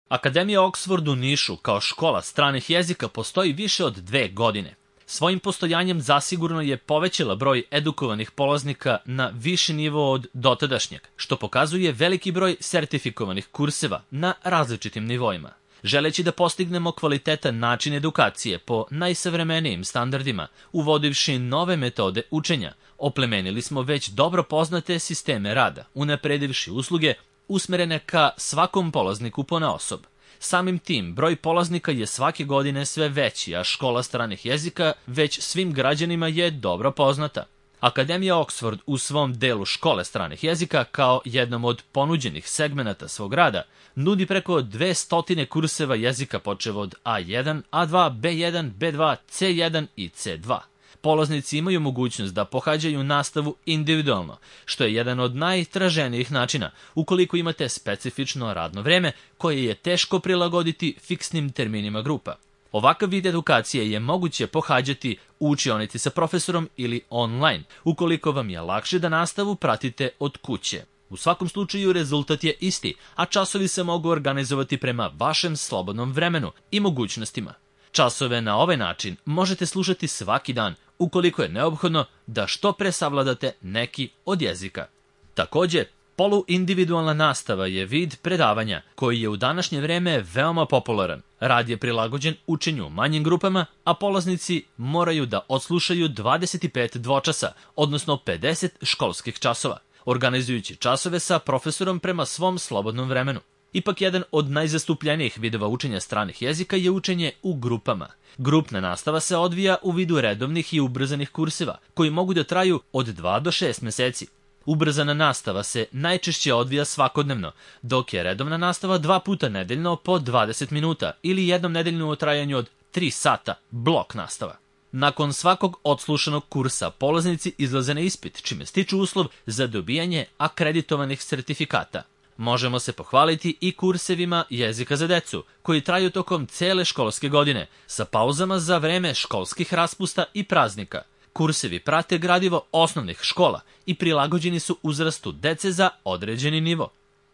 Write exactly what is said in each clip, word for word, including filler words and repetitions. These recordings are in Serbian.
Akademija Oxford u Nišu kao škola stranih jezika postoji više od dve godine. Svojim postojanjem zasigurno je povećala broj edukovanih polaznika na viši nivo od dotadašnjeg, što pokazuje veliki broj sertifikovanih kurseva na različitim nivoima. Želeći da postignemo kvalitetan način edukacije po najsavremenijim standardima, uvodivši nove metode učenja, oplemenili smo već dobro poznate sisteme rada, unapredivši usluge usmerene ka svakom polazniku ponaosob. Samim tim, broj polaznika je svake godine sve veći, a škola stranih jezika već svim građanima je dobro poznata. Akademija Oxford u svom delu škole stranih jezika, kao jednom od ponuđenih segmenata svog rada, nudi preko dvesta kurseva jezika počev od A jedan, A dva, B jedan, B dva, C jedan i C dva. Polaznici imaju mogućnost da pohađaju nastavu individualno, što je jedan od najtraženijih načina ukoliko imate specifično radno vreme koje je teško prilagoditi fiksnim terminima grupa. Ovakav vid edukacije je moguće pohađati u učionici sa profesorom ili online, ukoliko vam je lakše da nastavu pratite od kuće. U svakom slučaju rezultat je isti, a časovi se mogu organizovati prema vašem slobodnom vremenu i mogućnostima. Časove na ovaj način možete slušati svaki dan, ukoliko je neophodno da što pre savladate neki od jezika. Takođe, poluindividualna nastava je vid predavanja koji je u današnje vreme veoma popularan. Rad je prilagođen učenju u manjim grupama, a polaznici moraju da odslušaju dvadeset pet dvočasa, odnosno pedeset školskih časova, organizujući časove sa profesorom prema svom slobodnom vremenu. Ipak jedan od najzastupljenijih vidova učenja stranih jezika je učenje u grupama. Grupna nastava se odvija u vidu redovnih i ubrzanih kurseva, koji mogu da traju od dva do šest meseci. Ubrzana nastava se najčešće odvija svakodnevno, dok je redovna nastava dva puta nedeljno po dvadeset minuta ili jednom nedeljno u trajanju od tri sata, blok nastava. Nakon svakog odslušanog kursa polaznici izlaze na ispit, čime stiču uslov za dobijanje akreditovanih sertifikata. Možemo se pohvaliti i kursevima jezika za decu, koji traju tokom cele školske godine, sa pauzama za vreme školskih raspusta i praznika. Kursevi prate gradivo osnovnih škola i prilagođeni su uzrastu dece za određeni nivo.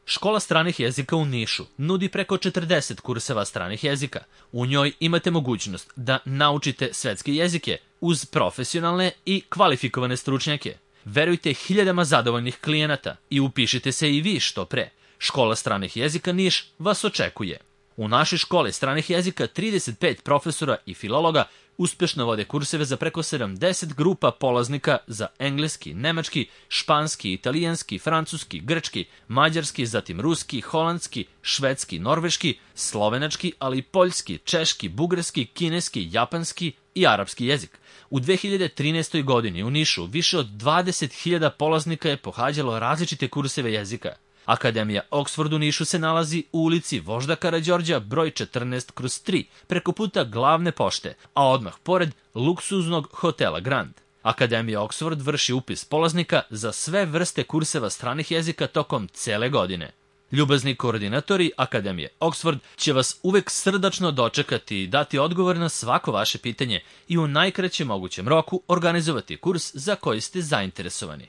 Škola stranih jezika u Nišu nudi preko četrdeset kurseva stranih jezika. U njoj imate mogućnost da naučite svetske jezike uz profesionalne i kvalifikovane stručnjake. Verujte hiljadama zadovoljnih klijenata i upišite se i vi što pre. Škola stranih jezika Niš vas očekuje. U našoj školi stranih jezika trideset pet profesora i filologa uspešno vode kurseve za preko sedamdeset grupa polaznika za engleski, nemački, španski, italijanski, francuski, grčki, mađarski, zatim ruski, holandski, švedski, norveški, slovenački, ali i poljski, češki, bugarski, kineski, japanski i arapski jezik. U dve hiljade trinaestoj. godini u Nišu više od dvadeset hiljada polaznika je pohađalo različite kurseve jezika. Akademija Oxford u Nišu se nalazi u ulici Vožda Karađorđa broj četrnaest kroz tri, preko puta glavne pošte, a odmah pored luksuznog hotela Grand. Akademija Oxford vrši upis polaznika za sve vrste kurseva stranih jezika tokom cele godine. Ljubazni koordinatori Akademije Oxford će vas uvek srdačno dočekati i dati odgovor na svako vaše pitanje i u najkraćem mogućem roku organizovati kurs za koji ste zainteresovani.